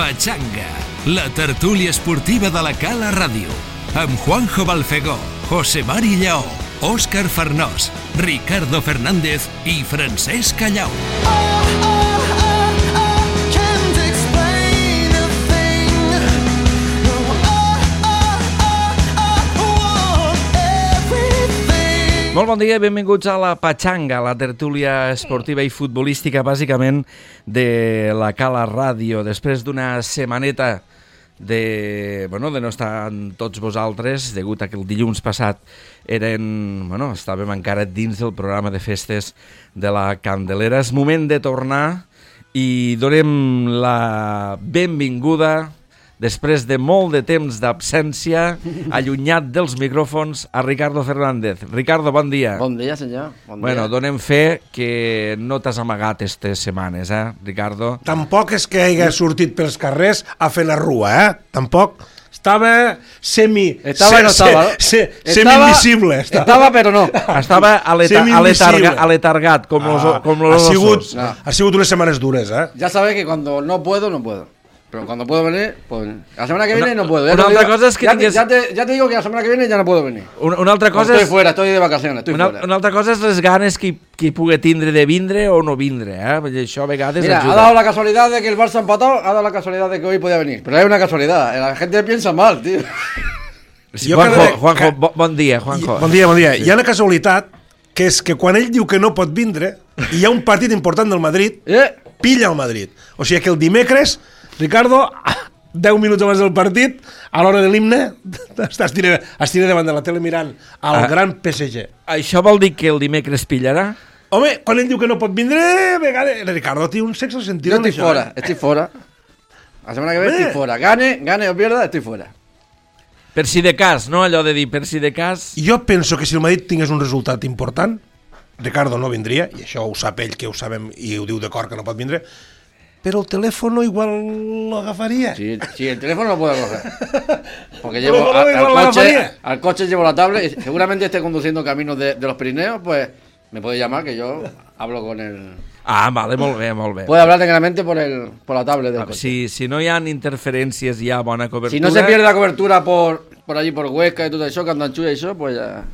Pachanga, la tertúlia esportiva de la Cala Ràdio, amb Juanjo Balfegó, José Mari Lleó, Òscar Farnós, Ricardo Fernández i Francesc Callau. Molt bon dia i benvinguts a la Pachanga, la tertúlia esportiva i futbolística, bàsicament, de la Cala Ràdio. Després d'una setmaneta de no estar amb tots vosaltres, degut a que el dilluns passat estàvem encara dins del programa de festes de la Candelera. És moment de tornar i donem la benvinguda, després de molt de temps d'absència, allunyat dels micròfons, a Ricardo Fernández. Ricardo, bon dia. Bon dia, senyor. Bon dia. Bueno, donem fe que no t'has amagat aquestes setmanes, Ricardo? Tampoc és que hagi sortit pels carrers a fer la rua, Tampoc. Estava semi-invisible. Estava, però no. Estava aletargat, com los osos. Ha sigut unes setmanes dures, Ya sabes que cuando no puedo, no puedo. Pero cuando puedo venir, pues la semana que viene no puedo. Una altra cosa és que ya te digo que la semana que viene ya no puedo venir. Una altra cosa estoy fuera, estoy de vacaciones, fuera. Una altra cosa és les ganes que pugui tindre de vindre o no vindre, Perquè això a vegades Mira, ajuda. ha dado la casualidad de que el Barça ha empatado, ha dado la casualidad de que hoy podía venir. Pero hay una casualidad, la gente piensa mal, tío. Sí, Juanjo, bon dia, Juanjo. Bon dia. Hi ha una casualitat, que és que quan ell diu que no pot vindre, i hi ha un partit important del Madrid, pilla el Madrid. O sigui que el dimecres, Ricardo, 10 minuts abans del partit, a l'hora de l'himne, es tira davant de la tele mirant el gran PSG. Això vol dir que el dimecres pillarà? Home, quan ell diu que no pot vindre, Ricardo té un sexo sentido. Yo estoy fuera. La semana que viene estoy fuera. Gane o pierda, estoy fuera. Per si de cas, no? Allò de dir per si de cas... Jo penso que si el Madrid tingués un resultat important, Ricardo no vindria, i això ho sap ell, que ho sabem, i ho diu de cor que no pot vindre, pero el teléfono igual lo agafaría. Sí, el teléfono lo puedo coger. Porque llevo al coche llevo la tablet y seguramente esté conduciendo caminos de los Pirineos, pues me puede llamar que yo hablo con el... Vale, molt bé. Puede hablar tranquilamente por la tablet del coche. Si no hi ha interferències, hi ha bona cobertura. Si no se pierde la cobertura por allí por Huesca y todo eso, Candanchú y eso, pues ya...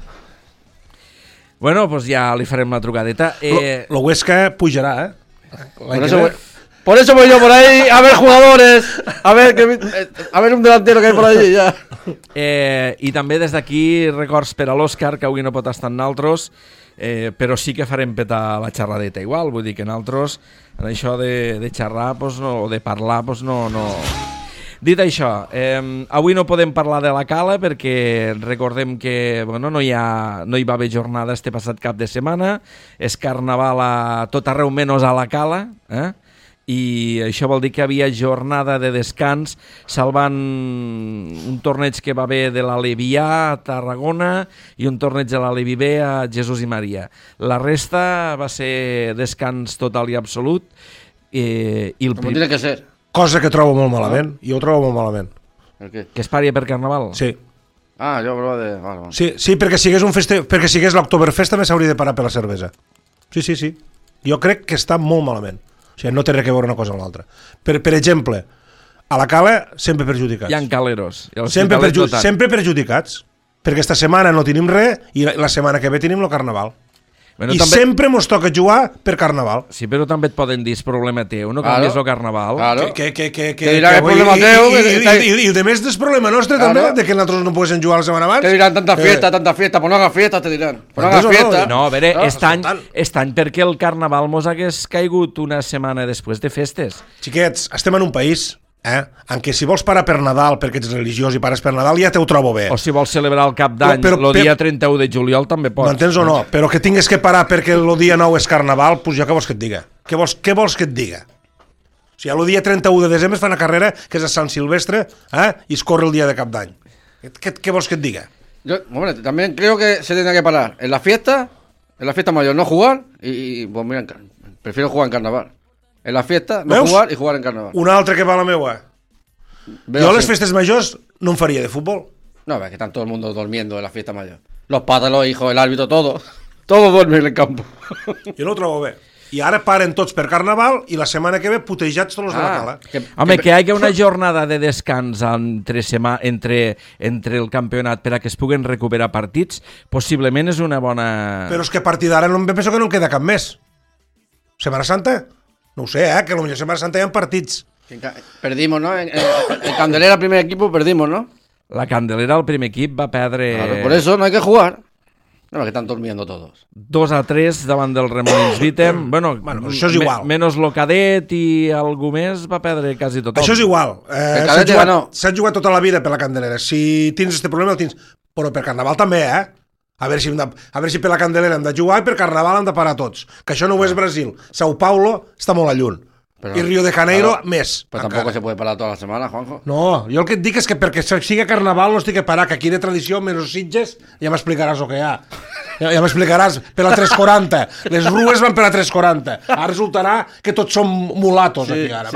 Bueno, pues ya li farem la trucadeta. Lo Huesca pujarà, Por eso voy yo por ahí a ver jugadores, a ver un delantero que hay por allí ya. I també des d'aquí records per a l'Òscar, que avui no pot estar amb naltros, però sí que farem petar la xerradeta igual, vull dir que naltros en això de xerrar o de parlar no. Dit això, avui no podem parlar de la Cala perquè recordem que no hi va haver jornada este passat cap de setmana, és carnaval a tot arreu menys a la Cala, i això vol dir que havia jornada de descans salvant un torneig que va haver de l'Alevià a Tarragona i un torneig de l'Alevi B a Jesús i Maria. La resta va ser descans total i absolut, i el Com tiene que ser. Cosa que trobo molt malament. Jo ho trobo molt malament. El què? Que es pari per Carnaval? Sí. Jo hablava de... Vale. Sí, perquè si hagués l'Oktoberfest també s'hauria de parar per la cervesa. Sí. Jo crec que està molt malament. O sigui, no té res a veure una cosa amb l'altra. Per exemple, a la Cala sempre perjudicats. Hi ha caleros. Sempre perjudicats. Perquè esta setmana no tenim res i la setmana que ve tenim el Carnaval. Bueno, també... sempre mos toca jugar per Carnaval. Sí, però també et poden dir és problema teu, no canvies el Carnaval. Claro. Que dirà és problema teu. I de més és problema nostre també, de que nosaltres no poguéssim jugar la setmana abans. Te diran tanta fiesta, pues no hagas fiesta, te diran. Pues no hagas fiesta. No, a veure, estany perquè el Carnaval mos hagués caigut una setmana després de festes. Xiquets, estem en un país en què si vols parar per Nadal perquè ets religiós i pares per Nadal ja te ho trobo bé. O si vols celebrar el cap d'any el dia 31 de juliol també pots. M'entens o no? Però que tingues que parar perquè el dia 9 és Carnaval, doncs jo què vols que et diga? Què vols que et diga? O sigui, el dia 31 de desembre es fa una carrera que és a Sant Silvestre i es corre el dia de cap d'any. ¿Qué vols que et diga? Hombre, también creo que se tendrá que parar en la fiesta mayor, no jugar y pues mira, prefiero jugar en Carnaval. En la fiesta, no jugar y jugar en Carnaval. Una altra que va a la meua. Jo a les festes majors no em faria de futbol. No, es que están todo el mundo durmiendo en la fiesta mayor. Los patas, los hijos, el árbitro, todo duerme en el campo. Jo no ho trobo bé. i ara paren tots per Carnaval i la setmana que ve putejats tots els de la Cala. Home, que hi hagi una jornada de descans entre el campionat per a que es puguen recuperar partits, possiblement és una bona... Però és que a partir d'ara no em penso que no en queda cap més. Setmana Santa? No ho sé, que potser Setmana Santa hi ha partits. Perdimos, ¿no? En Candelera, primer equipo, perdimos, ¿no? La Candelera, el primer equip, va perdre... Claro, por eso no hay que jugar. No, que están durmiendo todos. 2-3 davant del Remolins Vitem. Bueno, això és igual. Menos lo Cadet i algú més va perdre quasi tothom. Això és igual. S'ha jugat tota la vida per la Candelera. Si tens aquest problema, el tens. Però per Carnaval també, A veure si per la Candelera hem de jugar i per Carnaval hem de parar tots. Que això no ho és Brasil. Sao Paulo està molt a lluny. Pero, i Río de Janeiro, més. Però tampoc se puede parar tota la setmana, Juanjo. No, jo el que et dic és que perquè sigui Carnaval no estic que parar, que aquí de tradició, menys Sitges, ja m'explicaràs el que hi ha. Ja m'explicaràs, per la 340. Les rues van per la 340. Ara resultarà que tots som mulatos aquí ara.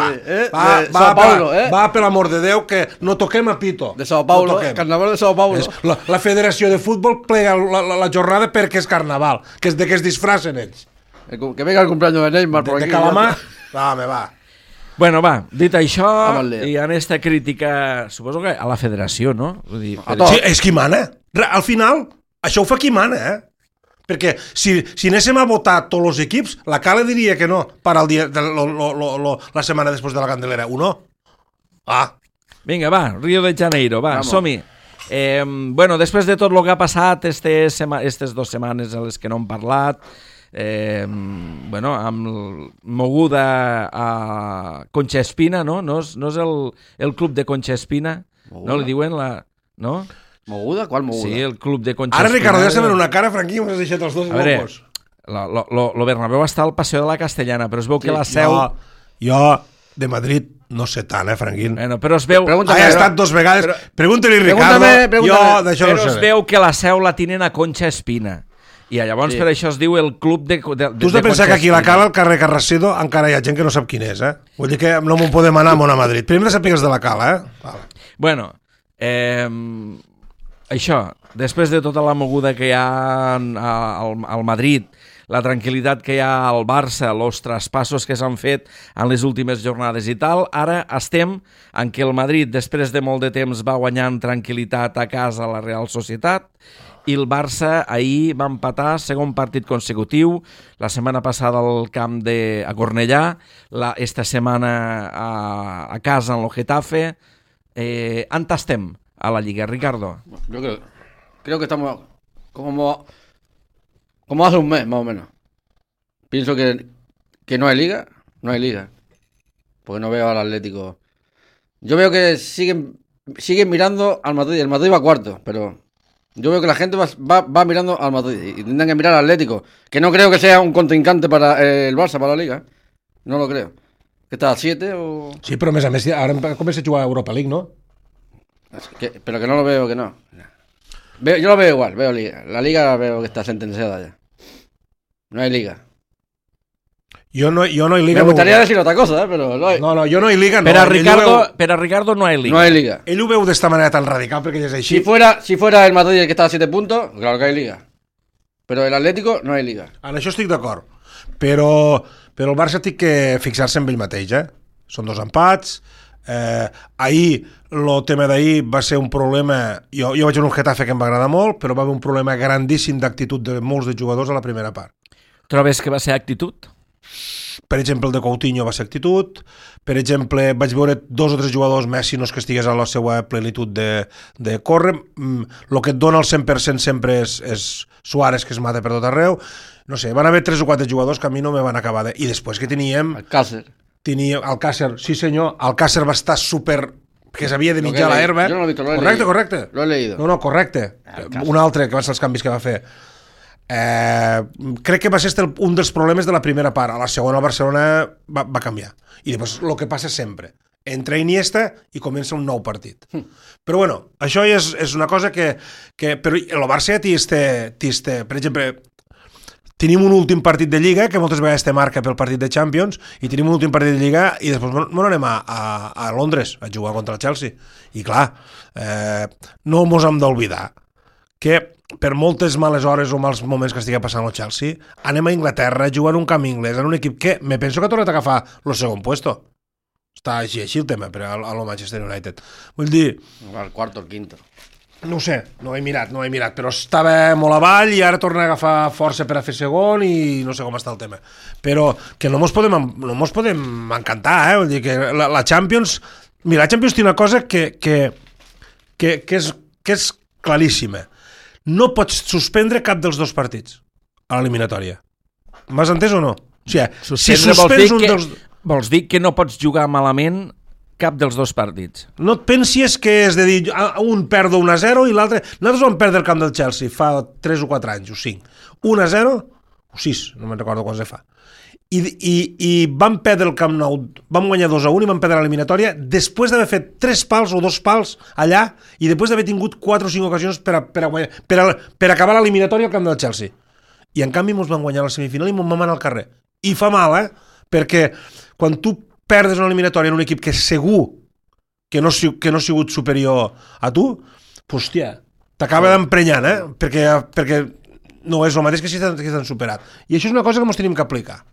Va, per l'amor de Déu, que no toquem a pito. De Sao Paulo, Carnaval de Sao Paulo. La Federació de Futbol plega la jornada perquè és Carnaval, que és de que es disfracen ells. Que venga el cumpleaños de Neymar por aquí. De Calamar. Va. Bueno, va, dit això, i en esta crítica, suposo que a la federació, no? Vull dir, sí, és qui mana. Al final, això ho fa qui mana, Perquè si anéssim a votar tots els equips, la Cala diria que no, per al dia, la setmana després de la Candelera. O no? Vinga, va, Río de Janeiro, va, som-hi. Bueno, després de tot el que ha passat aquestes 2 setmanes en les que no hem parlat, bueno, amb moguda a Concha Espina, no? No és el club de Concha Espina? Moguda? No li diuen la... No? ¿Moguda? ¿Cuál moguda? Sí, el club de Concha Ara, Espina. Ricardo, ja se ven una cara, Franquí, m'has deixat els dos locos. Lo Bernabéu està al Paseo de la Castellana, però es veu que la seu... Jo de Madrid no sé tant, Franquín. Bueno, però es veu... Ha estat 2 vegades. Pregunta-li, Ricardo. Jo d'això no sé. Però es veu que la seu la tenen a Concha Espina. I llavors per això es diu el club de tu has de pensar que aquí a la Cala, al carrer Carracedo, encara hi ha gent que no sap quin és, Vull dir que no m'ho podem anar a Madrid. Primer de saber els de la Cala, Vale. Bueno, això, després de tota la moguda que hi ha al Madrid, la tranquil·litat que hi ha al Barça, els traspassos que s'han fet en les últimes jornades i tal, ara estem en què el Madrid, després de molt de temps, va guanyant tranquil·litat a casa a la Real Societat, i el Barça ahir va empatar segon partit consecutiu, la setmana passada al camp a Cornellà, esta setmana a casa en el Getafe. On estem a la Lliga, Ricardo? Yo creo que estamos como hace un mes, más o menos. Pienso que no hay liga, porque no veo al Atlético. Yo veo que siguen mirando al Madrid, el Madrid va cuarto, pero... Yo veo que la gente va mirando al Madrid y tendrán que mirar al Atlético, que no creo que sea un contrincante para el Barça, para la Liga. No lo creo. ¿Que está a 7 o...? Sí, però a més, ara comença a jugar a Europa League, ¿no? Pero que no lo veo, que no. Yo lo veo igual, veo Liga. La Liga veo que está sentenciada ya. No hay Liga. Jo no hi liga. Me gustaría decir otra cosa, pero no hay. No, jo no hi liga. Per a Ricardo no hay Liga. No hay Liga. Ell ho veu d'esta manera tan radical perquè ja és així. Si fuera el Madrid el que está a 7 puntos, claro que hay Liga. Pero el Atlético no hay Liga. En això estic d'acord. Però el Barça té que fixar-se en ell mateix, Són 2 empats. Ahir, el tema d'ahir va ser un problema... Jo vaig veure un Getafe que em va agradar molt, però va haver un problema grandíssim d'actitud de molts de jugadors a la primera part. Trobes que va ser actitud? Per exemple, el de Coutinho va ser actitud. Per exemple, vaig veure 2 o 3 jugadors, Messi no és que estigués a la seva plenitud de córrer. El que et dona el 100% sempre és Suárez, que es mata per tot arreu. No sé, van haver 3 o 4 jugadors que a mi no me van acabar de... I després que teníem... Alcácer, sí senyor. Alcácer va estar super... que s'havia de mitjar la herba. Yo no lo he visto, lo he leído. Correcte. Lo he leído. No, correcte. Un altre, que van ser els canvis que va fer. Crec que va ser un dels problemes de la primera part. A la segona el Barcelona va canviar i després el que passa sempre, entra Iniesta i comença un nou partit. Però bueno, això és una cosa que però el Barça té, per exemple, tenim un últim partit de Lliga que moltes vegades te marca pel partit de Champions i tenim un últim partit de Lliga i després anem a Londres a jugar contra el Chelsea i clar, no mos hem d'oblidar que per moltes males hores o mals moments que estigui passant el Chelsea, anem a Inglaterra, jugar en un camp inglès, en un equip que me penso que ha tornat a agafar el segon puesto. Està així el tema per a lo Manchester United. Vull dir... El quarto, el quinto. No ho sé, no he mirat, però estava molt avall i ara torna a agafar força per a fer segon i no sé com està el tema. Però que no mos podem encantar, Vull dir que la Champions... Mira, la Champions té una cosa que és claríssima. No pots suspendre cap dels dos partits a l'eliminatòria. M'has entès o no? O sigui, si suspens un dels... Vols dir que no pots jugar malament cap dels dos partits? No et pensis que és de dir un perdo 1-0 i l'altre... Nosaltres vam perdre el camp del Chelsea fa 3 o 4 anys, o 5. 1-0 o 6, no me'n recordo quants fa. I vam perdre el Camp Nou, vam guanyar 2-1 i vam perdre l'eliminatòria després d'haver fet 3 pals o 2 pals allà i després d'haver tingut 4 o 5 ocasions per acabar l'eliminatòria al camp del Chelsea. I en canvi ens van guanyar la semifinal i ens vam anar al carrer. I fa mal, perquè quan tu perdes una eliminatòria en un equip que segur que no ha sigut superior a tu, hòstia, t'acaba d'emprenyant, perquè no és el mateix que si t'han superat. I això és una cosa que ens tenim que aplicar.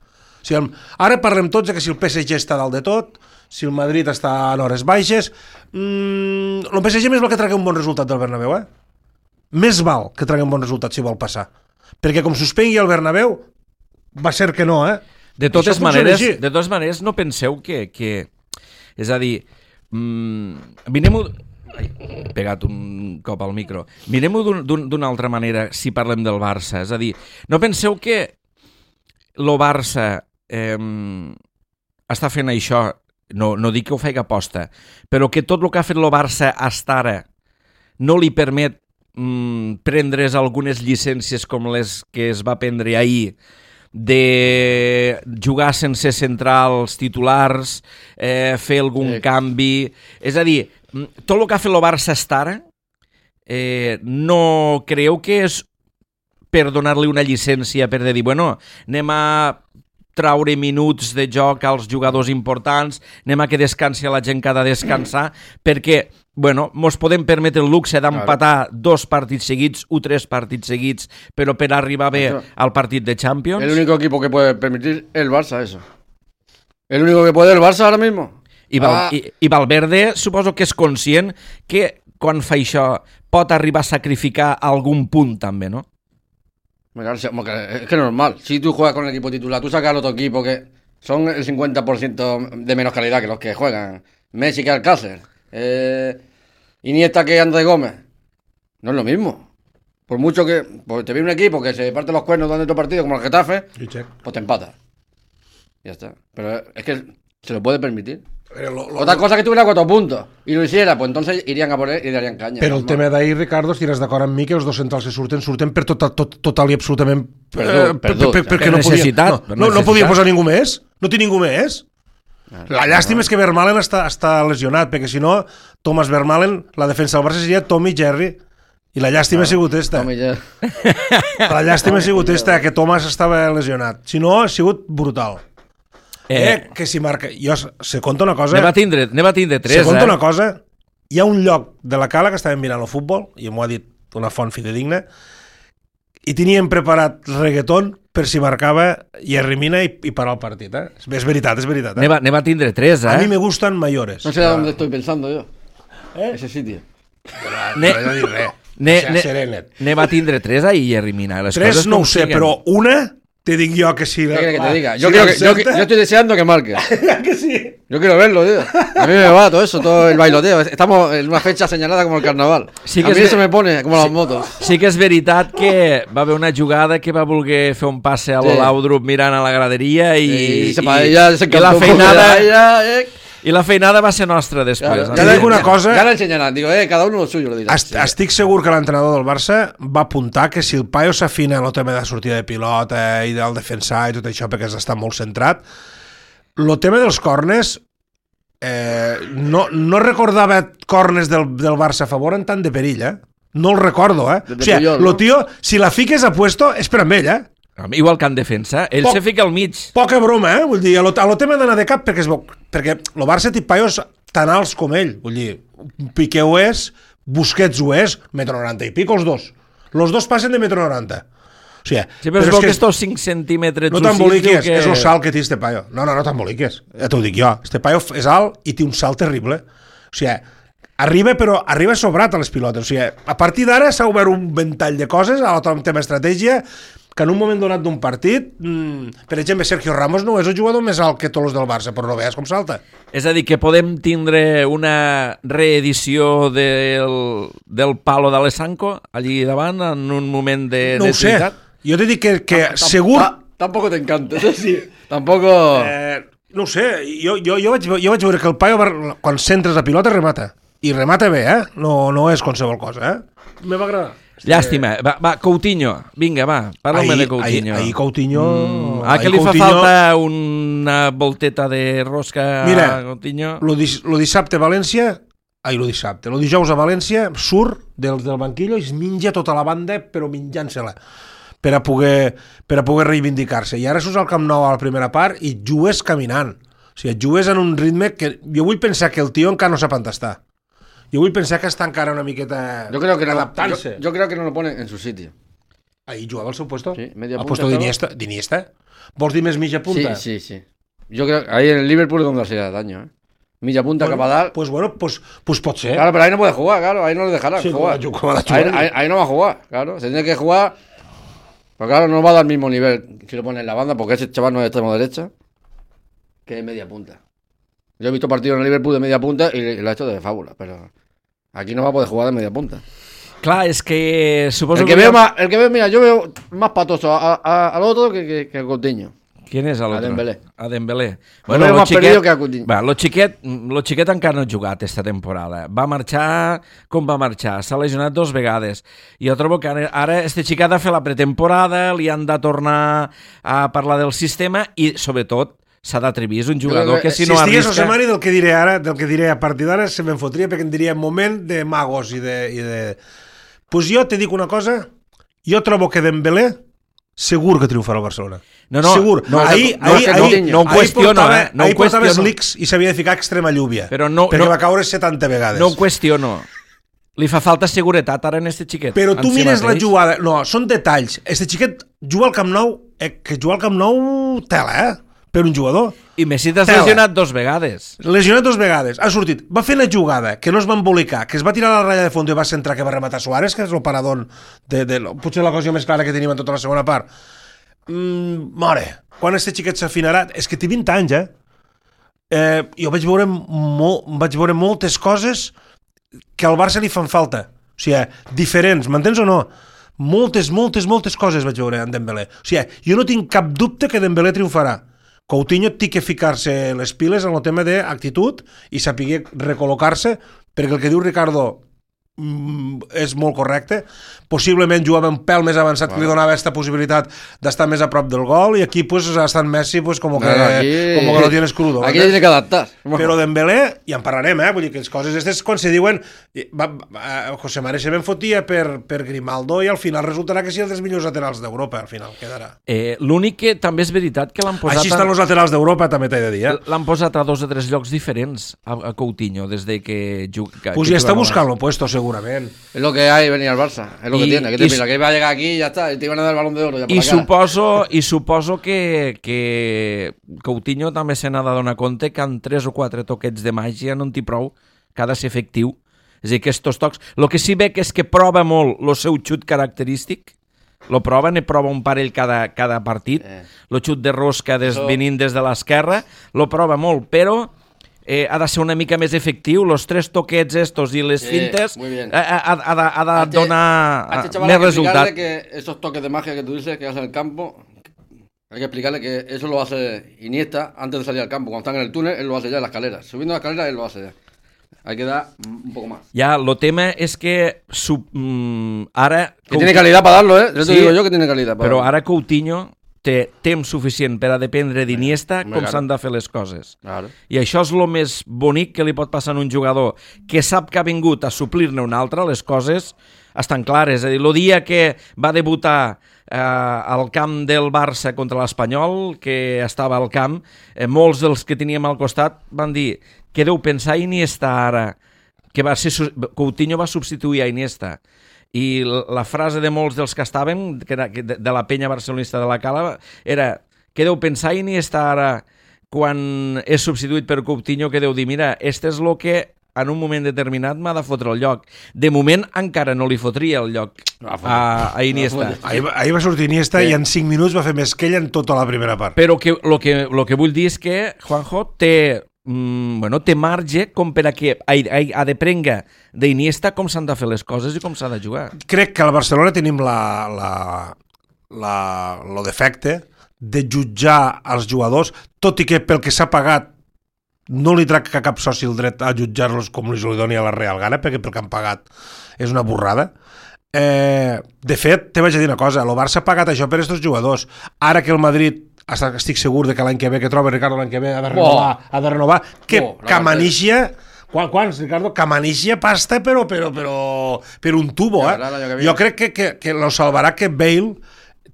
O sigui, ara parlem tots de que si el PSG està dalt de tot, si el Madrid està en hores baixes, el PSG més val que tragui un bon resultat del Bernabéu, Més val que tragui un bon resultat si vol passar. Perquè com suspengui el Bernabéu, va ser que no, De totes maneres, no penseu que... És a dir, mirem-ho... He pegat un cop al micro. Mirem-ho d'una altra manera si parlem del Barça. És a dir, no penseu que el Barça està fent això, no dic que ho faci aposta, però que tot el que ha fet el Barça hasta ara no li permet prendre's algunes llicències com les que es va prendre ahir, de jugar sense centrals titulars, fer algun canvi... És a dir, tot el que ha fet el Barça hasta ara, no creu que és per donar-li una llicència per dir, bueno, anem a traure minuts de joc als jugadors importants, anem a que descansi la gent que ha de descansar, perquè, bueno, mos podem permetre el luxe d'empatar 2 partits seguits o 3 partits seguits, però per arribar bé al partit de Champions. El único equipo que puede permitir el Barça eso. El único que puede el Barça ahora mismo. I Valverde suposo que és conscient que quan fa això pot arribar a sacrificar algun punt també, no? Es que es normal. Si tú juegas con el equipo titular, tú sacas al otro equipo que son el 50% de menos calidad que los que juegan. Messi que Alcácer. Iniesta que Andrés Gómez. No es lo mismo. Por mucho que te viene un equipo que se parte los cuernos durante otro partido, como el Getafe, pues te empata. Ya está. Pero es que se lo puede permitir. Otra cosa que tuviera 4 puntos y lo hiciera, pues entonces irían a por él y le darían caña. Però el tema d'ahir, Ricardo, estiràs d'acord amb mi que els dos centrals que surten per total i absolutament perquè no podia posar ningú més. No té ningú més. La llàstima és que Vermaelen està lesionat, perquè si no, Thomas Vermaelen, la defensa del Barça seria Tommy Jerry. I la llàstima ha sigut esta. La llàstima ha sigut esta, que Thomas estava lesionat. Si no, ha sigut brutal. Que si marca... Jo se conta una cosa... Ne va tindre 3, Se conta una cosa... Hi ha un lloc de la cala que estàvem mirant el futbol, i m'ho ha dit una font fidedigna, i teníem preparat reggaeton per si marcava Jerry Mina i parar el partit, És veritat, Ne va tindre 3, A mi me gustan mayores. No sé dónde estoy pensando yo. Ese sitio. Ne va tindre 3 ahí Jerry Mina. 3 no ho sé, però una... Te digo yo que sí. ¿Qué quieres que te diga? Yo estoy deseando que marque. Que sí. Yo quiero verlo, tío. A mí me va todo eso, todo el bailoteo. Estamos en una fecha señalada como el carnaval. Sí que a mí eso me pone como las motos. Sí que és veritat que va haver una jugada que va voler fer un passe a l'Olaudrup mirant a la graderia i la feinada... I la feinada va ser nostra després. Ja dic una cosa... Ja l'ensenyaran, digo, cada uno lo suyo lo dirà. Estic segur que l'entrenador del Barça va apuntar que si el paio s'afina en el tema de sortida de pilota i del defensar i tot això perquè està molt centrat, el tema dels corners no recordava corners del Barça a favor en tant de perill, No el recordo, O sigui, el tio, si la fiques a puesto, és per amb ell, Igual que en defensa, ell se fica al mig. Poca broma, Vull dir, a lo tema d'anar de cap, perquè el Barça té paios tan alts com ell. Vull dir, Piqué ho és, Busquets ho és, 1,90 m i pico els dos. Los dos passen de 1,90 m. O sigui, sí, però és que estos 5 centímetres... No t'emboliques, és el salt que té este paio. No t'emboliques, ja t'ho dic jo. Este paio és alt i té un salt terrible. O sigui, arriba sobrat a les pilotes. O sigui, a partir d'ara s'ha obert un ventall de coses, a l'altre tema estratègia, que en un moment donat d'un partit, per exemple, Sergio Ramos no és el jugador més alt que tots els del Barça, però no veus com salta. És a dir, que podem tindre una reedició del palo d'Alessanco allí davant en un moment de necessitat? No ho sé. Jo t'he dit que segur... Tampoco te encanta, sí. Tampoco... No ho sé, jo vaig veure que el paio, quan centres la pilota, remata. I remata bé, No és qualsevol cosa, Me va agradar. Llàstima. Va, Coutinho. Vinga, va, parla'm de Coutinho. Ahir Coutinho... que li fa falta una volteta de rosca a Coutinho. Lo dissabte a València... Lo dijous a València surt del banquillo i es menja tota la banda, però menjant-se-la. Per a poder reivindicar-se. I ara surts al Camp Nou a la primera part i jugues caminant. O sigui, jugues en un ritme que... Jo vull pensar que el tio encara no sap on està. Jo vull pensar que està encara una miqueta adaptant-se. Yo creo que no lo pone en su sitio. Ahí jugava al seu puesto. Sí, media punta. Al puesto d'Iniesta. Vols dir més mitja punta? Sí. Yo creo que ahí en el Liverpool es donde se da daño, Milla punta, capadal. Pues pot ser. Claro, pero ahí no puede jugar, claro. Ahí no le dejarán jugar. Ahí no va a jugar, claro. Se tiene que jugar... Pero claro, no va a dar el mismo nivel si lo pone en la banda, porque ese chaval no es de extremo derecha, que de media punta. Yo he visto partidos en el Liverpool de media punta y lo ha hecho de fábula, pero aquí no va a poder jugar de media punta. Clar, és que suposo el que veo, mira, yo veo más patoso al otro que a Coutinho. ¿Quién és l'altre? A Dembélé. Bueno, lo xiquet, que a Coutinho. Va, lo xiquet encara no ha jugat esta temporada. Va marxar com va marxar. S'ha lesionat 2 vegades. I jo trobo que ara este xiquet ha de fer la pretemporada, li han de tornar a parlar del sistema i, sobretot, s'ha d'atrevir. És un jugador que si no arrisca... Si estigués José Mari del que diré a partir d'ara, se me'n fotria perquè en diria moment de magos i de... Pues jo te dic una cosa, jo trobo que Dembélé segur que triomfarà al Barcelona. No, segur. Ahir no ho qüestiono, no ho portava qüestiono. Slicks i s'havia de ficar extrema lluvia. Perquè va caure 70 vegades. No ho qüestiono. Li fa falta seguretat ara en este xiquet. Però tu mires la jugada... No, són detalls. Este xiquet juga al Camp Nou, que jugar al Camp Nou tela, per un jugador. I Messi t'has lesionat 2 vegades. Lesionat 2 vegades. Ha sortit. Va fer la jugada, que no es va embolicar, que es va tirar a la ratlla de fons i va centrar, que va rematar Suárez, que és el paradón potser la cosa més clara que tenim en tota la segona part. Mare, quan este xiquet s'afinarà... És que té 20 anys, Jo vaig veure moltes coses que al Barça li fan falta. O sigui, diferents, m'entens o no? Moltes coses vaig veure en Dembélé. O sigui, jo no tinc cap dubte que Dembélé triomfarà. Coutinho té que ficar-se les piles en el tema d'actitud i saber recol·locar-se, perquè el que diu Ricardo és molt correcte. Possiblement jugava un pèl més avançat que li donava aquesta possibilitat d'estar més a prop del gol, i aquí pues ha estat Messi pues, como que lo tienes crudo. Aquí tiene que adaptar. Però Dembélé, i en parlarem, vull dir que les coses aquestes quan se diuen José Mari se ben fotia per Grimaldo i al final resultarà que sí, dels millors laterals d'Europa al final quedarà. L'únic que també és veritat que l'han posat... Així estan els laterals d'Europa, també t'he de dir. L'han posat a 2 o 3 llocs diferents a Coutinho des de que juga. Pues ja està buscant lo puesto segurament. Es lo que hay venir al Barça, es lo que tiene. ¿Qué te piensas? Que va a llegar aquí y ya está, y te iban a dar el Balón de Oro. Ya por I suposo que Coutinho també se n'ha de donar compte que en 3 o 4 toquets de màgia no en té prou, que ha de ser efectiu. És a dir, que estos tocs... El que sí veig és que prova molt el seu xut característic, lo prova, ne prova un parell cada partit, el xut de rosca venint des de l'esquerra, lo prova molt, però... ha de ser una mica més efectiu, los 3 toquets estos i les fintes ha de donar més resultat. Hay que explicarle que esos toques de magia que tú dices que hace en el campo, hay que explicarle que eso lo hace Iniesta antes de salir al campo. Cuando están en el túnel, él lo hace ya en la escalera. Subiendo la escalera, él lo hace ya. Hay que dar un poco más. Ya, lo tema es que ara... Que tiene calidad para darlo, Yo te digo yo que tiene calidad para darlo. Però ara Coutinho té temps suficient per a dependre d'Iniesta com s'han de fer les coses. Claro. I això és el més bonic que li pot passar a un jugador que sap que ha vingut a suplir-ne un altre, les coses estan clares. És a dir, el dia que va debutar al camp del Barça contra l'Espanyol, que estava al camp, molts dels que teníem al costat van dir que deu pensar Iniesta ara, que Coutinho va substituir a Iniesta. i la frase de molts dels que estaven, que era de la penya barcelonista de la Cala, era: què deu pensar Iniesta ara quan és substituït per Coutinho, que deu dir, mira, este és el que en un moment determinat m'ha de fotre el lloc. De moment encara no li fotria el lloc a Iniesta. Ahir va sortir Iniesta i en 5 minuts va fer més que ell en tota la primera part. Però el que vull dir és que Juanjo té marge com per a que ha de prenga d'Iniesta com s'han de fer les coses i com s'ha de jugar. Crec que al Barcelona tenim lo defecte de jutjar els jugadors, tot i que pel que s'ha pagat no li tracta cap soci el dret a jutjar-los com li doni a la Real Gana, perquè pel que han pagat és una borrada. De fet, te vaig a dir una cosa, el Barça ha pagat això per aquests jugadors. Ara que el Madrid, estic segur de que l'any que ve, que troba Ricardo l'any que ve, ha de renovar, que Camanixia... Quants, Ricardo? Camanixia pasta, però per un tubo, Jo crec que lo salvarà que Bale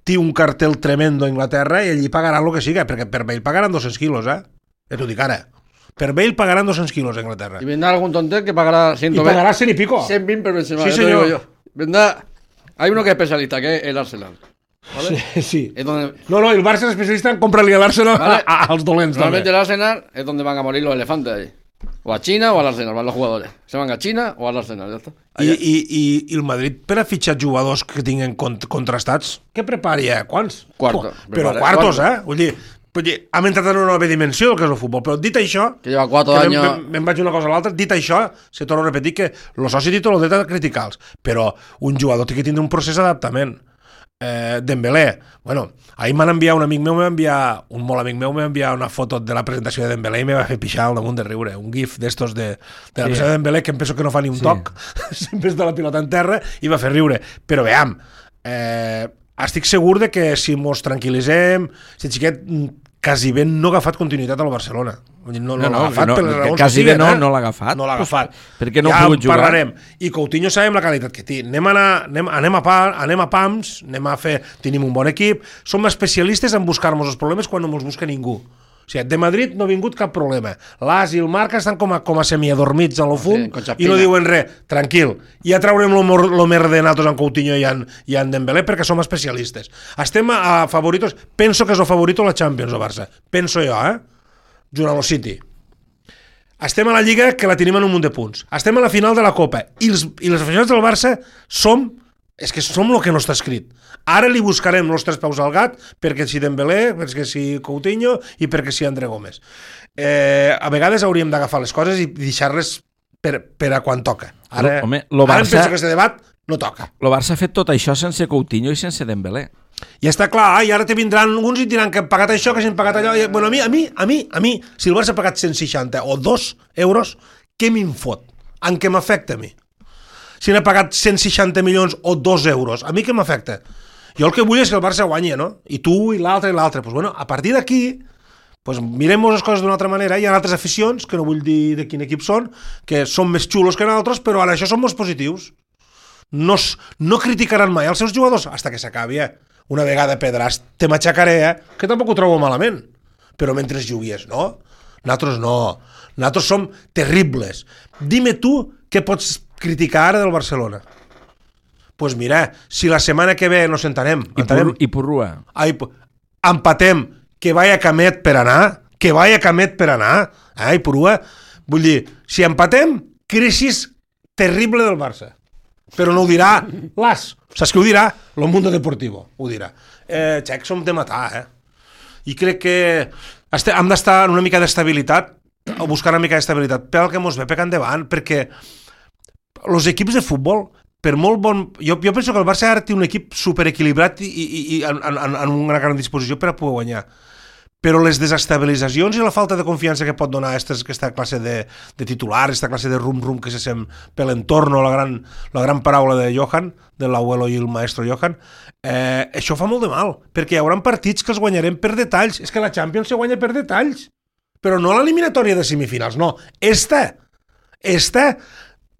té un cartel tremendo a Inglaterra i allí pagaran el que siga, perquè per Bale pagaran 200 quilos, Ja t'ho dic ara. Per Bale pagaran 200 kilos a Inglaterra. Y vendrá algún tontel que pagará 120. Y pagará 100 y pico. 120 por Benzema. Sí, señor. Yo. Vendrá... Hay uno que es especialista, que es el Arsenal. ¿Vale? Sí. Es donde... No, el Barça es especialista en comprarle al Arsenal als dolents. Normalmente el Arsenal es donde van a morir los elefantes ahí. O a China o al Arsenal, van los jugadores. Se van a China o al Arsenal, ya está. I el Madrid, per a fitxar jugadors que tinguin contrastats, què prepari, Quants? Quarto. Però quartos, Vull dir, hem entrat en una nova dimensió del que és el futbol, però dit això, que lleva 4 anys... Me'n vaig una cosa a l'altra, dit això, se torna a repetir que el soci té tot el dret a criticar-los, però un jugador té que tindre un procés d'adaptament. Dembélé, ahir m'han enviat un amic meu, un molt amic meu, m'ha enviat una foto de la presentació de Dembélé i me va fer pixar al damunt de riure, un gif d'estos de la presentació de Dembélé, que em penso que no fa ni un toc, sempre està la pilota en terra, i va fer riure, però veam, estic segur de que si mos tranquil·litzem, si xiquet quasi ben no ha agafat continuïtat al Barcelona. No l'ha agafat per les raons que siguen. No l'ha agafat. No l'ha agafat. Perquè no ha pogut jugar. Parlarem. I Coutinho sabem la qualitat que té. Anem a PAMS, tenim un bon equip, som especialistes en buscar-nos els problemes quan no ens busca ningú. O sigui, de Madrid no ha vingut cap problema. L'As i el Marca estan com a semiadormits a lo fum i no diuen res. Tranquil, ja traurem lo merda nosaltres en Coutinho i en Dembélé perquè som especialistes. Estem a favoritos. Penso que és el favorito a la Champions, el Barça. Penso jo, junt a lo City. Estem a la Lliga, que la tenim en un munt de punts. Estem a la final de la Copa. I les aficionats del Barça som el que no està escrit. Ara li buscarem els 3 peus al gat, perquè si Dembélé, perquè si Coutinho i perquè si André Gómez. A vegades hauríem d'agafar les coses i deixar-les per a quan toca. Ara em penso que aquest debat no toca. El Barça ha fet tot això sense Coutinho i sense Dembélé. I està clar, i ara te vindran uns i diran que han pagat això, que s'han pagat allò. Bueno, a mi, si el Barça ha pagat 160 o 2 euros, què me'n fot? En què m'afecta a mi? Si n'ha pagat 160 milions o 2 euros, a mi què m'afecta? Jo el que vull és que el Barça guanyi, no? I tu, i l'altre, i l'altre. Pues bueno, a partir d'aquí, mirem-nos les coses d'una altra manera. Hi ha altres aficions, que no vull dir de quin equip són, que són més xulos que nosaltres, però ara això són molt positius. No criticaran mai els seus jugadors hasta que s'acabi, Una vegada Pedràs, te m'aixecaré, que tampoc ho trobo malament. Però mentre jugues, no? Nosaltres no. Nosaltres som terribles. Dime tu què pots criticar ara del Barcelona. Pues mira, si la setmana que ve nos sentarem... I Purrua. Empatem, que vaya Camet per anar, i Purrua. Vull dir, si empatem, crisi terrible del Barça. Però no ho dirà l'As. Saps què ho dirà? El Mundo Deportivo ho dirà. Xec, som de matar, I crec que hem d'estar en una mica d'estabilitat, o buscar una mica d'estabilitat, pel que mos ve pecant endavant, perquè els equips de futbol, per molt bon... Jo penso que el Barça ara té un equip superequilibrat i en una gran disposició per a poder guanyar. Però les desestabilitzacions i la falta de confiança que pot donar aquesta classe de titular, aquesta classe de rum-rum que se sent per l'entorn, la gran paraula de Johan, de l'abuelo i el maestro Johan, això fa molt de mal, perquè hi haurà partits que els guanyarem per detalls. És que la Champions se guanya per detalls, però no l'eliminatòria de semifinals, no. Esta.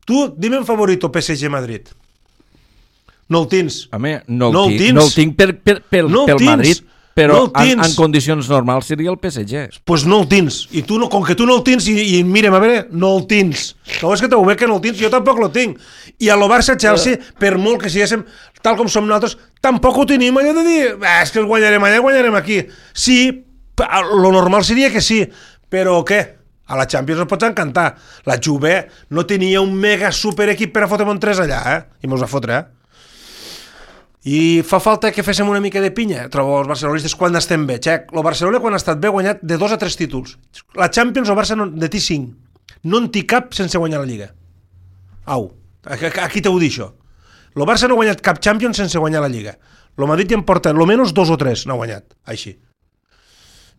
Tu, dime un favorito PSG Madrid. No el tens. Home, no el tinc pel Madrid. Però en condicions normals seria el PSG. Pues no el tens. I tu, com que tu no el tens, i mirem, a veure, no el tens. No és que t'ho veig que no el tens, jo tampoc el tinc. I a lo Barça-Chelsea, per molt que siguéssim tal com som nosaltres, tampoc ho tenim allò de dir, és que el guanyarem allà, guanyarem aquí. Sí, lo normal seria que sí, però què? A la Champions ens pots encantar. La Juve no tenia un mega super equip per a fotre'm un 3 allà, I mos va fotre, I fa falta que féssim una mica de pinya, trobo els barcelonistes quan estem bé. Xec, el Barcelona quan ha estat bé ha guanyat de 2 a 3 títols. La Champions el Barça de té 5. No en té cap sense guanyar la Lliga. Au, aquí t'ho dir això. El Barça no ha guanyat cap Champions sense guanyar la Lliga. El Madrid ja en porta almenys 2 o 3, no ha guanyat, així.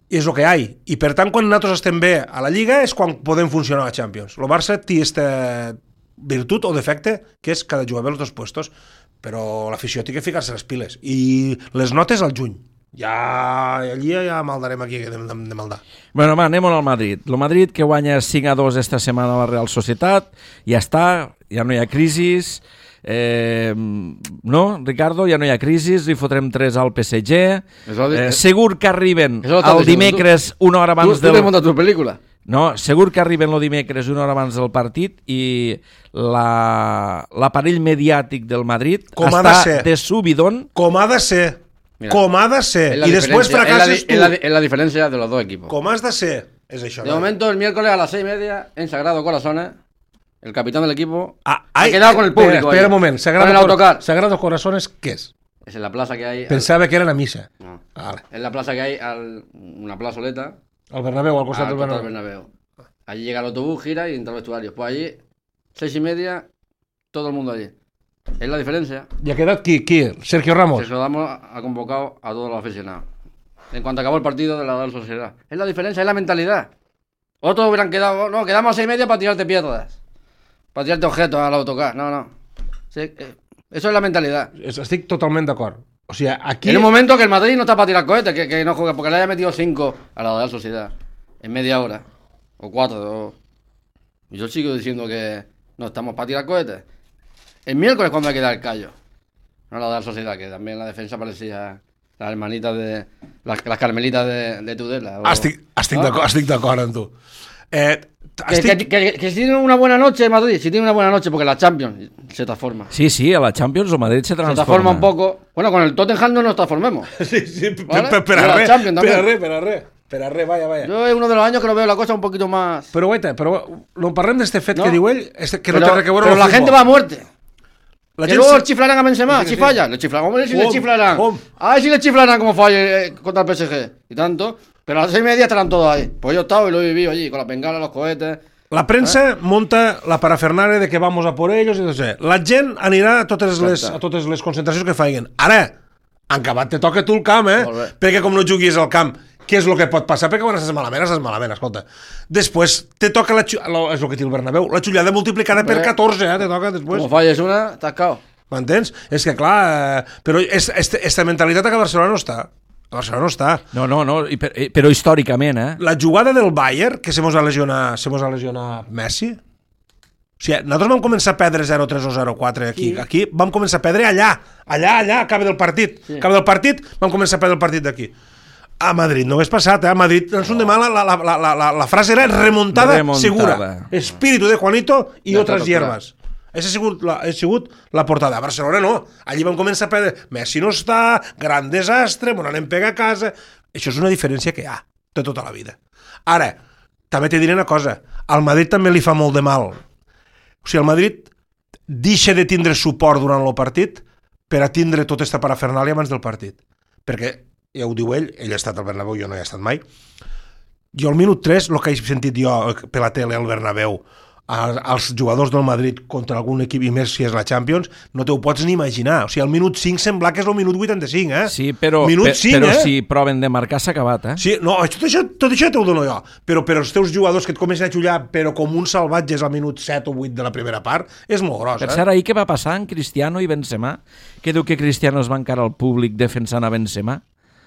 I és el que hi ha. I per tant, quan nosaltres estem bé a la Lliga és quan podem funcionar a la Champions. El Barça té aquesta virtut o defecte que és cada jugar bé els 2 puestos. Però l'afició té que ficar-se les piles. I les notes al juny. Allí ja maldarem aquí de maldar. Bueno, va, anem al Madrid. El Madrid que guanya 5-2 esta setmana a la Real Societat, ja està, ja no hi ha crisis, no, Ricardo, ja no hi ha crisis, li fotrem 3 al PSG, segur que arriben el dimecres una hora abans del... Tu t'has muntat tu pel·lícula? No, segur que arriben el dimecres una hora abans del partit i l'aparell mediàtic del Madrid està de subidón. Com ha de ser. Mira, com ha de ser. I després fracasses tu. Es la diferencia de los dos equipos. Com has de ser. Es això. De momento, el miércoles a las 6:30, en Sagrado Corazones, el capitán del equipo ha quedado con el público. Espera un moment. Sagrado Corazones, ¿qué es? Es en la plaza que hay... Pensaba que era la misa. No. Vale. Es la plaza que hay, una plazoleta. Al Bernabéu, al costat del Bernabéu. Allí llega el autobús, gira y entra al vestuario. Pues allí, 6:30, todo el mundo allí. Es la diferencia. ¿Y ha quedado quién? Sergio Ramos. Sergio Ramos ha convocado a todos los aficionados. En cuanto acabó el partido de la Real Sociedad. Es la diferencia, es la mentalidad. Otros hubieran quedado, no, quedamos a 6:30 para tirarte piedras. Para tirarte objetos al autocar. No. Sí, eso es la mentalidad. Estic totalment d'acord. O sea, aquí... En un momento que el Madrid no está para tirar cohetes, que no juega, porque le haya metido 5 a la Real Sociedad en media hora, o 4. Y yo sigo diciendo que no estamos para tirar cohetes. El miércoles cuando hay que dar el callo. No la Real Sociedad, que también la defensa parecía las hermanitas de... Las carmelitas de Tudela. Estic d'acord amb tu. Que si tienen una buena noche Madrid, si tienen una buena noche, porque la Champions se transforma. Sí, a la Champions o Madrid se transforma. Se transforma un poco. Bueno, con el Tottenham no nos transformemos. Sí, ¿vale? Per a res, vaya. Yo es uno de los años que lo veo la cosa un poquito más... Però guaita, no parlem d'este fet que diu ell, que no té res que veure amb el futbol. Però la gente va a muerte. Que luego el chiflarán a Benzema, si falla, le chiflarán. Hombre, si le chiflarán. A ver si le chiflarán como falle contra el PSG. Y tanto. Pero a las 6:30 estarán todos ahí. Pues yo he estado y lo he vivido allí, con las bengalas, los cohetes. La premsa monta la parafernalia de que vamos a por ellos i no sé. La gent anirà a totes les concentracions que faiguen. Ara, en acabat te toca tu el camp, perquè com no juguis al camp, què és el que pot passar? Perquè quan estàs malament, escolta. Després te toca és el que té el Bernabéu, la xullada multiplicada per 14, te toca després. Com falles una, t'has cao. M'entens? És que clar, però esta mentalitat a Barcelona no està. A Barcelona no està. No, però històricament, La jugada del Bayern, que se mos ha lesionat Messi, o sigui, nosaltres vam començar a perdre 0-3 o 0-4 aquí vam començar a perdre allà, a cap del partit. A cap del partit vam començar a perdre el partit d'aquí. A Madrid no hagués passat, A Madrid, en demà la frase era remontada segura. Espíritu de Juanito i otras hierbas. Aquesta ha sigut la portada. A Barcelona no. Allí vam començar a perdre. Messi no està, gran desastre, bon anem pega a casa. Això és una diferència que hi ha de tota la vida. Ara, també te diré una cosa. Al Madrid també li fa molt de mal. O sigui, el Madrid deixa de tindre suport durant el partit per a tindre tota aquesta parafernàlia abans del partit. Perquè, ja ho diu ell ha estat al Bernabéu, jo no hi he estat mai. Jo al minut 3, el que he sentit jo per la tele al Bernabéu, als jugadors del Madrid contra algun equip, i més si és la Champions, no te ho pots ni imaginar. O sigui, el minut 5 sembla que és el minut 85, Sí, però si proven de marcar s'ha acabat, Sí, no, tot això t'ho dono jo. Però els teus jugadors que et comencen a xullar, però com uns salvatges al minut 7 o 8 de la primera part, és molt gros, Per cert, ahir què va passar en Cristiano i Benzema? Que diu que Cristiano es va encarar al públic defensant a Benzema?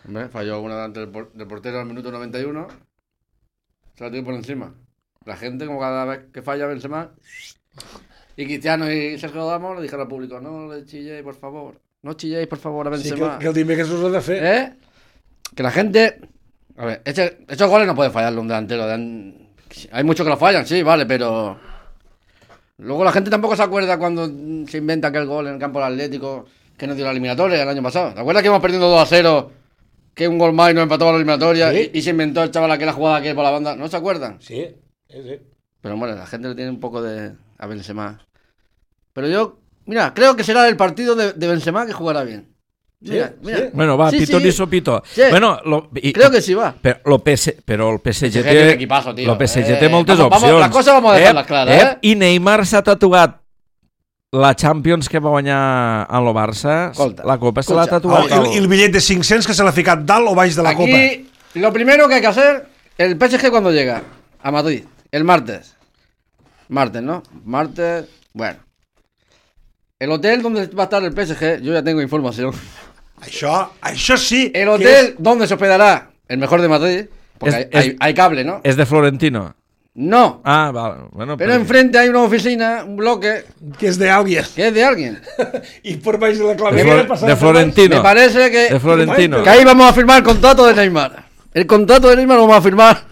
Hombre, falló una delante del portero al minuto 91, se la tiró por encima. La gente, como cada vez que falla Benzema, y Cristiano y Sergio Ramos le dijeron al público, no le chilléis, por favor. No chilléis, por favor, a Benzema. Sí, que el dimecres us ho ha de fer. que la gente... A ver, esos goles no puede fallarlo un delantero. Hay muchos que lo fallan, sí, vale, pero... Luego la gente tampoco se acuerda cuando se inventa aquel gol en el campo del Atlético que nos dio la eliminatoria el año pasado. ¿Te acuerdas que íbamos perdiendo 2-0? Que un gol más y nos empató a la eliminatoria, ¿sí? y se inventó el chaval aquella jugada que por la banda. ¿No se acuerdan? Sí. Pero bueno, la gente le tiene un poco de... a Benzema. Pero yo, mira, creo que será el partido de Benzema que jugará bien. Mira. Bueno, va, Sí, pito sí. ni sopito. Sí. Bueno, Creo que sí va. Però el PSG tiene té... equipazo, tío. El PSG té moltes vamos, opcions. las cosas vamos a dejarlas claras, I Neymar s'ha tatuat la Champions que va guanyar en el Barça. Escolta, La Copa se l'ha tatuat. I el bitllet de 500 que se l'ha ficat dalt o baix de la Aquí, Copa. lo primero que hay que hacer, el PSG cuando llega a Madrid, el martes. Martes, ¿no? Martes, bueno. El hotel donde va a estar el PSG, yo ya tengo información. Això sí. El hotel donde se hospedará el mejor de Madrid, porque hay cable, ¿no? És de Florentino. No. Ah, vale. Bueno, Pero enfrente hay una oficina, un bloque, Que és d'alguen. que es de alguien. I per baix de la clavera... De Florentino. Me parece que, De Florentino. que ahí vamos a firmar el contrato de Neymar. El contrato de Neymar lo vamos a firmar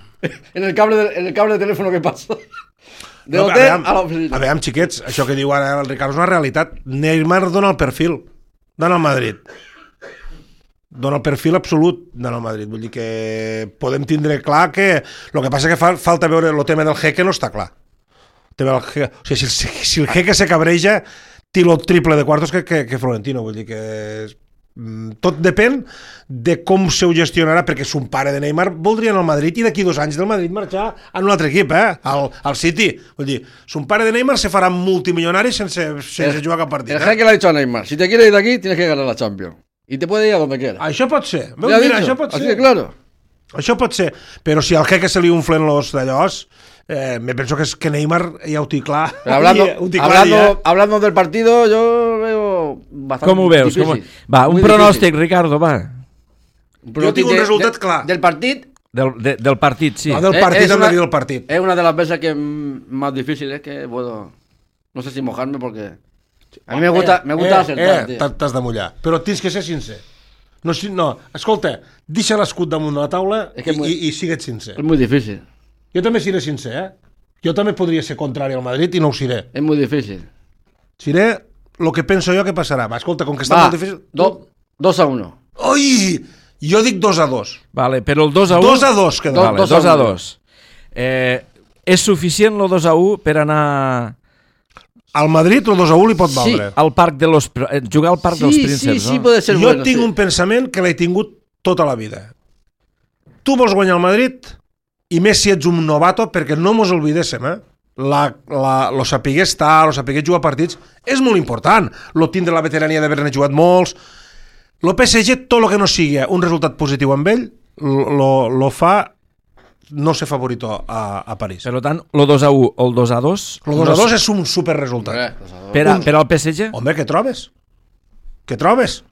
en el cable de teléfono que pasa. De No, hotel a la oficina. A veure, xiquets, això que diu ara el Ricardo és una realitat. Neymar dona el perfil. Dona el Madrid. Dona el perfil absolut dona el Madrid. Vull dir que podem tindre clar que... El que passa que falta veure el tema del Jeque, no està clar. O sigui, si el Jeque se cabreja, té el triple de quartos que Florentino. Vull dir que... Tot depèn de com se ho gestionarà, perquè son pare de Neymar voldria anar al Madrid i d'aquí 2 anys del Madrid marxar a un altre equip, al City. Vull dir, son pare de Neymar se farà multimilionari sense jugar cap partit. El jeque le ha dicho a Neymar, si te quieres ir de aquí, tienes que ganar la Champions. Y te puede ir a donde quieras. Això pot ser. Ya ha Mira, dicho, això pot así ser. de claro. Això pot ser. Però si al Jeque se li unflen los d'allòs, me penso que Neymar ja ho té clar. Pero hablando del partido, yo veo bastante Com ho veus? difícil. Va, un Muy pronòstic, difícil. Ricardo, va. Jo tinc un resultat clar. Del partido. Del partit, sí. No, del partit hem de dir del partit. Es una de las veces que más difíciles que puedo... No sé si mojarme porque... A mí me gusta acertar, tío. T'has de mullar. Però tens que ser sincer. No, escolta, deixa l'escut damunt de la taula i sigue't sincer. Es muy difícil. Jo també seré sincer, Jo també podria ser contrari al Madrid i no ho seré. Es muy difícil. Seré el que penso jo que passarà. Va, escolta, com que està molt difícil... 2-1. Ui! Jo dic 2-2. Vale, però el 2-1... 2-2 queda. Vale, 2-2. És suficient el 2-1 per anar... Al Madrid el 2-1 li pot valdre. Al parc de los... Jugar al parc dels prínceps, sí, no? puede ser jo bueno. tinc un pensament que l'he tingut tota la vida. Tu vols guanyar el Madrid i més si ets un novato, perquè no mos oblidéssim, lo saber estar, lo saber jugar partits és molt important. Lo tindre la veterania d'haver-ne jugat molts. Lo PSG, tot el que no sigui un resultat positiu amb ell, lo fa no ser favorito a París. Per tant, el 2-1 o el 2-2... El 2-2 és un super resultat. Per al PSG? Home, què trobes? Què trobes?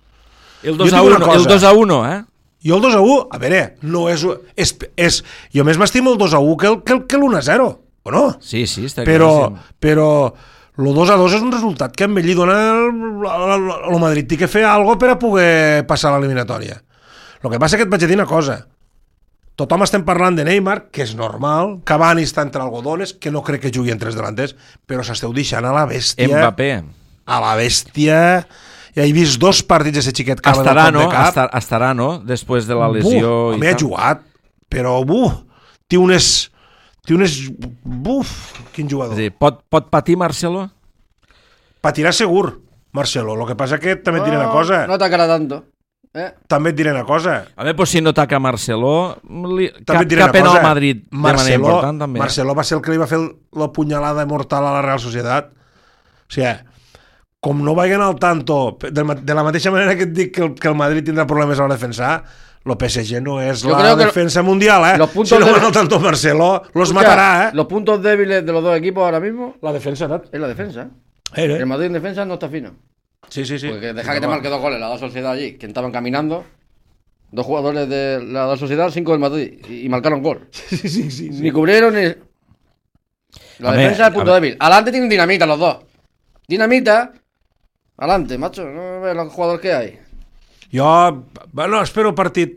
El 2-1, Jo el 2-1, a veure, no és... Jo més m'estimo el 2-1 que l'1-0, o no? Sí, està claríssim. Però el 2-2 és un resultat que amb ell li dona el Madrid té que fer alguna cosa per a poder passar l'eliminatòria. El que passa és que et vaig dir una cosa. Tothom estem parlant de Neymar, que és normal, Cavani està entre algodones, que no crec que jugui entre els delanters, però s'esteu deixant a la bèstia... Mbappé. A la bèstia... Ja he vist 2 partits d'aquest xiquet que estarà, no? Després de la lesió... Home, ha jugat, però té unes... Quin jugador. Sí, pot patir Marcelo? Patirà segur, Marcelo. Lo que passa que també et diré una cosa. No atacarà tanto. També et diré una cosa. A veure, si no ataca Marcelo, cap pena al Madrid de manera important, també. Marcelo va ser el que li va fer la punyalada mortal a la Real Societat. O sigui, com no vagin al tanto, de la mateixa manera que et dic que el Madrid tindrà problemes a la defensa, el PSG no és la defensa mundial, Si no van al tanto Marcelo, los matará, Los puntos débiles de los dos equipos ahora mismo... La defensa, ¿no? Es la defensa. El Madrid en defensa no está fino. Sí. Porque deja que te marque 2 goles la Sociedad allí, que estaban caminando, 2 jugadores de la Sociedad, 5 del Madrid, y marcaron gol. Sí. Ni cubrieron ni... La defensa es el punto débil. Adelante tienen dinamita los dos. Dinamita... Adelante, macho, no ves los jugadores que hay. Jo, espero el partit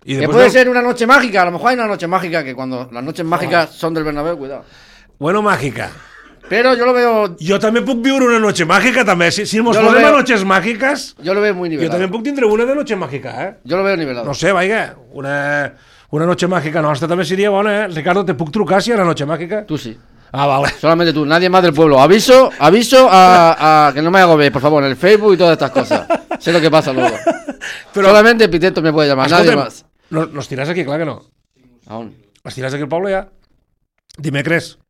Que puede ser una noche mágica, a lo mejor hay una noche mágica que cuando las noches mágicas son del Bernabéu, cuidado. Bueno, mágica. Pero yo lo veo... Jo també puc viure una noche mágica, també. Si ens posem a noches mágiques... Jo lo veo muy nivelado. Jo també puc tindre una de noche mágica, Jo lo veo nivelado. No sé, vaya, una noche mágica nostra també seria bona, Ricardo, te puc trucar si hi ha una noche mágica? Tú sí. Ah, vale. Solamente tú, nadie más del pueblo. Aviso a que no me hago ver, por favor, en el Facebook y todas estas cosas. Sé lo que pasa luego. Pero solamente Piteto me puede llamar, nadie más. Nos tiràs aquí, clar que no. ¿A dónde? Els tiràs aquí al poble ja? Dimecres.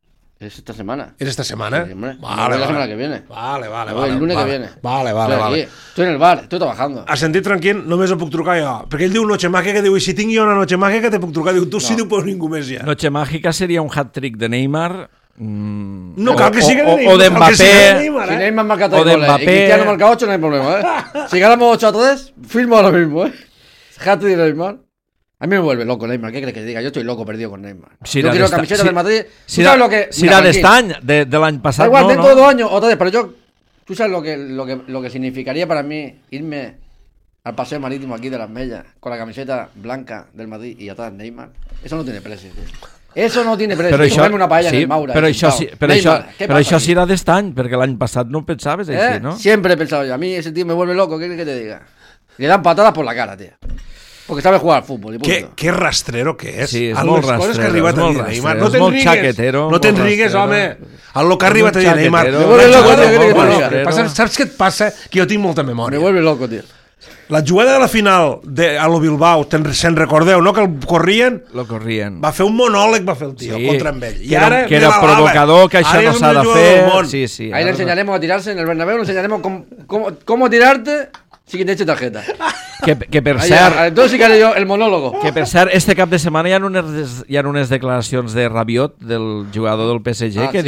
Es esta semana. ¿Es esta semana? Sí, hombre. Vale, La semana que viene. Vale. El lunes que viene. Vale. Estoy en el bar, estoy trabajando. Has sentit tranquil, només ho puc trucar jo. Perquè ell diu noche mágica, diu, i si tinc jo una noche mágica te puc trucar. Diu, tu sí, diu, però ningú més ja. Noche mágica seria un hat-trick de Neymar. No cal que sigui de Neymar. O de Mbappé. Si Neymar marca 3 goles y Mbappé. Cristiano marca 8, no hay problema, Si ganamos 8-3, firmo ahora mismo, Hat-trick de Neymar. A mí me vuelve loco Neymar, ¿qué crees que te diga? Yo estoy loco perdido con Neymar. Si yo quiero la camiseta del Madrid. Si era de este año, de l'any passat, da igual, dentro de 2 años, otra vez, pero yo... ¿Tú sabes lo que significaría para mí irme al paseo marítimo aquí de Las Mellas con la camiseta blanca del Madrid y atrás Neymar? Eso no tiene precio, tío. Eso no tiene precio. Però això, una paella en el Maura. Però això serà d'este any, perquè l'any passat no ho pensaves així, ¿no? Siempre he pensado yo. A mí ese tío me vuelve loco, ¿qué quieres que te diga? Le dan patadas por la cara, tío. Porque sabe jugar al fútbol. Qué rastrero que és. Sí, és molt rastrero. Coses que ha arribat a dir Neymar. No te'n rigues. No te'n rigues, home. El que ha arribat a dir Neymar. Me vuelve loco, tío. Saps què et passa? Que jo tinc molta memòria. Me vuelve loco, tío. La jugada de la final a lo Bilbao, se'n recordeu, no? Que el corrien? Lo corrien. Va fer un monòleg, va fer el tio, contra amb ell. I ara, que era provocador, que això no s'ha de fer. Sí. Ahí le enseñaremos a tirarse en el Bernabéu, le enseñaremos cómo tirarte sin que te eche tarjeta. Que per cert... Entonces sí que haré yo el monólogo. Que per cert, este cap de setmana hi ha unes declaracions de Rabiot, del jugador del PSG, que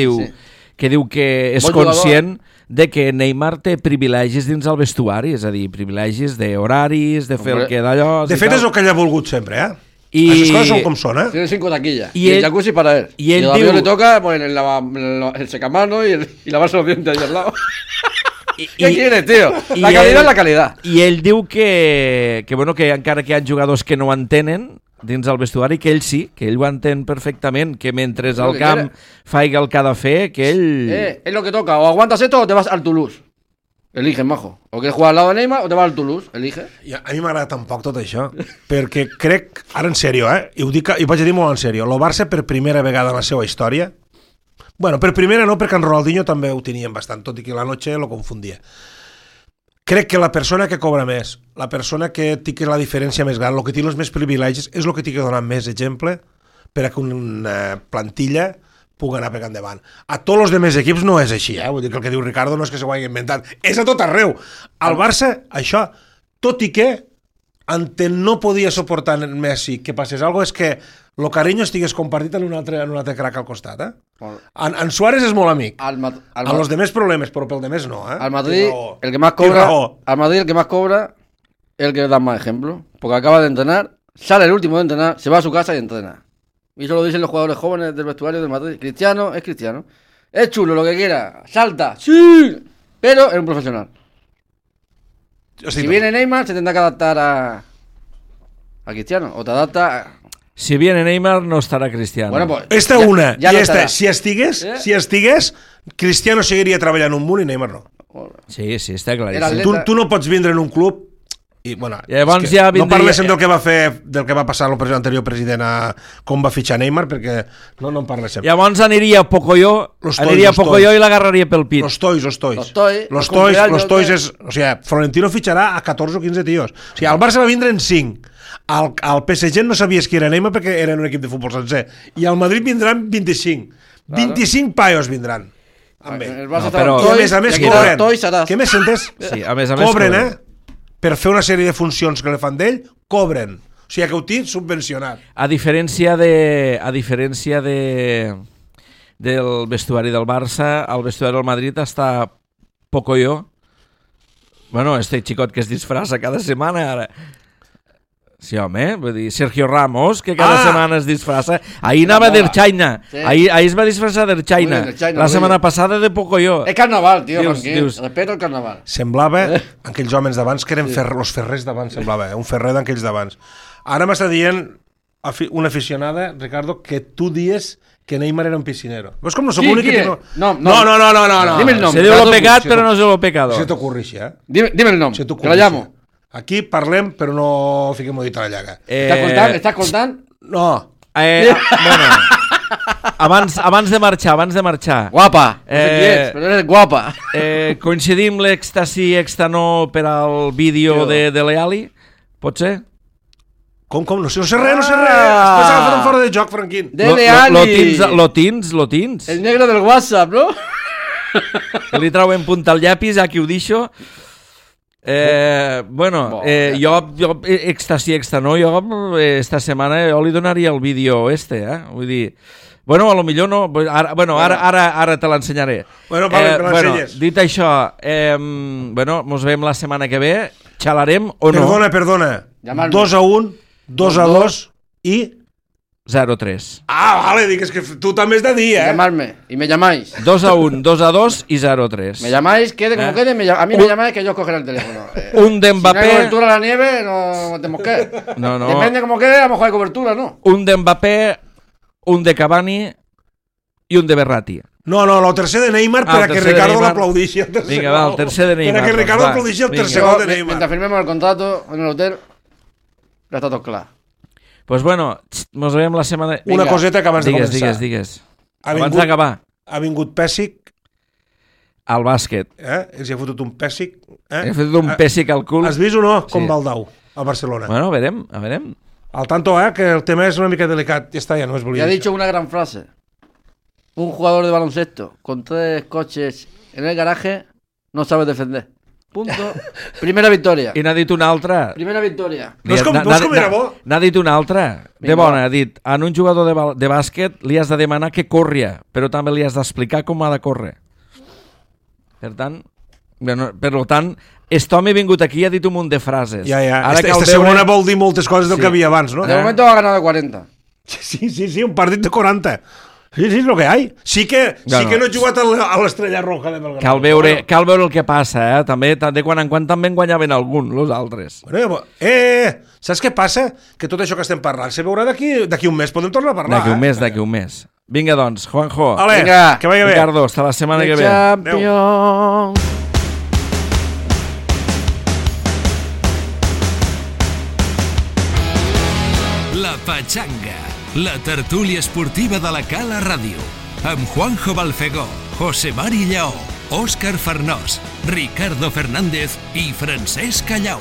diu que és conscient de que Neymar té privilegis dins el vestuari, és a dir, privilegis d'horaris, de fer el que d'allò... De fet, és el que ell ha volgut sempre, Aquestes coses són com són, Tiene 5 taquillas. Y el jacuzzi para él. Y el Rabiot le toca el secamano y lavarse los dientes ahí al lado. ¿Qué quieres, tío? La calidad es la calidad. I ell diu que encara que hi ha jugadors que no ho entenen dins el vestuari, que ell sí, que ell ho entén perfectament, que mentre al camp faiga el que ha de fer, que ell... Es lo que toca, o aguantas esto o te vas al Toulouse. Elige, majo. O quieres jugar al lado de Neymar o te vas al Toulouse. Elige. A mi m'agrada tan poc tot això, perquè crec, ara en sèrio, i ho vaig a dir molt en sèrio, el Barça per primera vegada en la seva història, bueno, per primera no, perquè en Ronaldinho també ho tenien bastant, tot i que la noche lo confundia. Crec que la persona que cobra més, la persona que té la diferència més gran, el que té els més privilegis, és el que té que donar més exemple per a que una plantilla pugui anar per endavant. A tots els demés equips no és així, Vull dir que el que diu Ricardo no és que s'ho hagi inventat, és a tot arreu. Al Barça, això, tot i que no podia suportar en Messi que passés alguna cosa, és que el carinyo estigués compartit en un altre crac al costat, En Suárez és molt amic. A los demés problemes, però pel demés no, Al Madrid, el que más cobra, el que da más ejemplo, porque acaba de entrenar, sale el último de entrenar, se va a su casa y entrena. Y eso lo dicen los jugadores jóvenes del vestuario del Madrid. Cristiano es Cristiano. Es chulo, lo que quiera, salta, sí, pero es un profesional. Si viene Neymar, se tendrá que adaptar a Cristiano, o te adapta a... Si viene Neymar, no estarà Cristiano. Bueno, pues, esta una, i esta, si estigués, Cristiano seguiria treballant un munt i Neymar no. Sí, està claríssim. Tu no pots vindre en un club i, bueno, llavors ja no parléssim del que va passar l'anterior president com va fitxar Neymar, perquè no en parléssim. Llavors aniria Pocoyo i l'agarraria pel pit. Los toys és... O sigui, Florentino fitxarà a 14 o 15 tios. O sigui, el Barça va vindre en 5. Al PSG no sabies qui era Neymar perquè eren un equip de futbol sencer. I al Madrid vindran 25. 25 paios vindran. Però a més cobren. Què més sentes? Sí, a més cobren, per fer una sèrie de funcions que li fan d'ell, cobren. O sigui que ho tinc subvencionat. A diferència del vestuari del Barça, el vestuari del Madrid està Pocoyo. Bueno, este xicot que es disfressa cada setmana ara. Sí, home, vull dir, Sergio Ramos, que cada setmana es disfressa. Ahir anava d'Erchaina. Ahir es va disfressar d'Erchaina. La setmana passada de Pocoyo. És carnaval, tio, respecte al carnaval. Semblava, aquells homes d'abans, que eren els ferrers d'abans, semblava, un ferrer d'aquells d'abans. Ara m'està dient una aficionada, Ricardo, que tu dies que Neymar era un piscinero. Veus com no som l'únic que té... No. Dime el nom. Se diu lo pecat, però no se lo pecado. Se t'ocorri així, Dime el nom, que la llamo. Aquí parlem, però no fiquem dit a la llaga. Estàs contant? No. Bueno, abans de marxar. Guapa, no sé qui ets, però eres guapa. Coincidim l'èxtasi extanó per al vídeo de Leali? Pot ser? Com? No sé res. Estàs agafant fora de joc, Franquín. De Leali. Lo tins? El negre del WhatsApp, no? Li trauen punta al llapis, aquí ho deixo. Jo èxtasi extanó, esta setmana jo li donaria el vídeo vull dir, a lo millor no, ara te l'ensenyaré. Me l'ensenyes. Dit això, mos veiem la setmana que ve, xalarem o no? Perdona, 2-1, 2-2 i... 0-3. Vale, dic, és que tu també has de dir, Llamarme, y me llamáis. 2-1, 2-2 y 0-3. Me llamáis, quede como quede, a mí me llamáis que yo cogeré el teléfono. Un de Mbappé... Si no hay cobertura a la nieve, no te mosquees. No. Depende como quede, a lo mejor hay cobertura, ¿no? Un de Mbappé, un de Cavani i un de Berratti. No, el tercer de Neymar per a que Ricardo l'aplaudixi. Vinga, va, el tercer de Neymar. Per a que Ricardo l'aplaudixi el tercer gol de Neymar. Mientras firmemos el contrato en el hotel, ya está todo claro. Pues mos veiem la setmana... Una coseta que abans de començar. Digues. Abans d'acabar. Ha vingut Pèssic. Al bàsquet. Els hi ha fotut un Pèssic. He fotut un Pèssic al cul. Has vist o no? Com va el Dau, a Barcelona. Bueno, a veurem. Al tanto, que el tema és una mica delicat. Ja està, ja no es volia. Ya ha dicho una gran frase. Un jugador de baloncesto con 3 coches en el garaje no sabe defender. Punto. Primera victòria. I n'ha dit una altra. Primera victòria. Veus com era bo? N'ha dit una altra. De bona, ha dit, en un jugador de bàsquet li has de demanar que corria, però també li has d'explicar com ha de córrer. Per tant, aquest home ha vingut aquí i ha dit un munt de frases. Ja. Esta segona vol dir moltes coses del que havia abans, no? De momento ha ganado 40. Sí, un partit de 40. Sí, és el que hi ha. Sí que no he jugat a l'Estrella Roja de Belgrano. Cal veure el que passa, també de quan en quan també en guanyaven algun, els altres. Saps què passa? Que tot això que estem parlant se veurà d'aquí un mes, podem tornar a parlar. D'aquí un mes. Vinga, doncs, Juanjo. Vinga, que vagi bé. Ricardo, hasta la setmana que ve. Champions. La Pachanga, la tertúlia esportiva de la Cala Ràdio, amb Juanjo Balfegó, José Mari Lleó, Òscar Farnós, Ricardo Fernández i Francesc Callau.